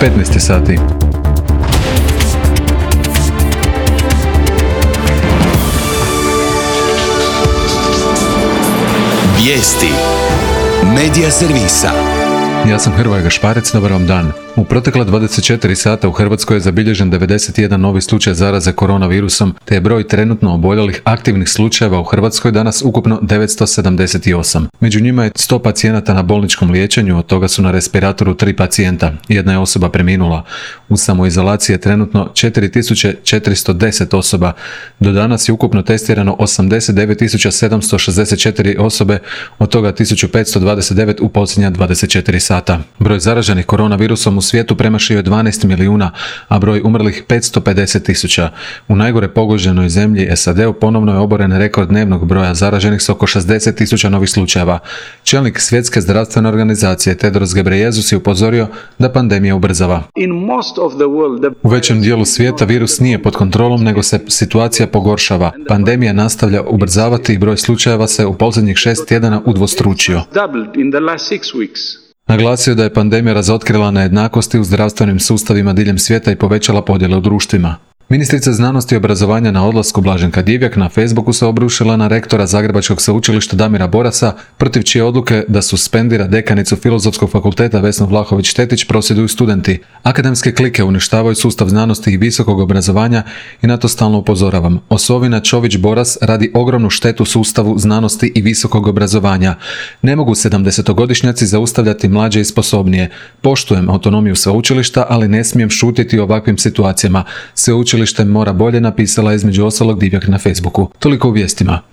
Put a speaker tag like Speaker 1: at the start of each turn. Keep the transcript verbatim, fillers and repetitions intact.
Speaker 1: petnaest sati.
Speaker 2: Vijesti Medija servisa.
Speaker 1: Ja sam Hrvoje Gašparec, dobar vam dan. U protekla dvadeset četiri sata u Hrvatskoj je zabilježen devedeset jedan novi slučaj zaraze koronavirusom, te je broj trenutno oboljelih aktivnih slučajeva u Hrvatskoj danas ukupno devetsto sedamdeset osam. Među njima je sto pacijenata na bolničkom liječenju, od toga su na respiratoru tri pacijenta. Jedna je osoba preminula. U samoizolaciji je trenutno četiri tisuće četiristo deset osoba. Do danas je ukupno testirano osamdeset devet tisuća sedamsto šezdeset četiri osobe, od toga tisuću petsto dvadeset devet u posljednja dvadeset četiri sata. Broj zaraženih koronavirusom u svijetu premašio je dvanaest milijuna, a broj umrlih petsto pedeset tisuća. U najgore pogođenoj zemlji S A D-u ponovno je oboren rekord dnevnog broja zaraženih s oko šezdeset tisuća novih slučajeva. Čelnik Svjetske zdravstvene organizacije Tedros Ghebreyesus je upozorio da pandemija ubrzava. U većem dijelu svijeta virus nije pod kontrolom, nego se situacija pogoršava. Pandemija nastavlja ubrzavati i broj slučajeva se u posljednjih šest tjedana udvostručio. Naglasio da je pandemija razotkrila nejednakosti u zdravstvenim sustavima diljem svijeta i povećala podjele u društvima. Ministrica znanosti i obrazovanja na odlasku Blaženka Divjak na Facebooku se obrušila na rektora Zagrebačkog sveučilišta Damira Borasa, protiv čije odluke da suspendira dekanicu Filozofskog fakulteta Vesnu Vlahović-Tetić prosvjeduju studenti. Akademske klike uništavaju sustav znanosti i visokog obrazovanja i na to stalno upozoravam. Osovina Čović-Boras radi ogromnu štetu sustavu znanosti i visokog obrazovanja. Ne mogu sedamdesetogodišnjaci zaustavljati mlađe i sposobnije. Poštujem autonomiju sveučilišta, ali ne smijem šutiti o ovakvim situacijama. Sveučilište mora bolje, napisala između ostalog Divjak na Facebooku. Toliko u vijestima.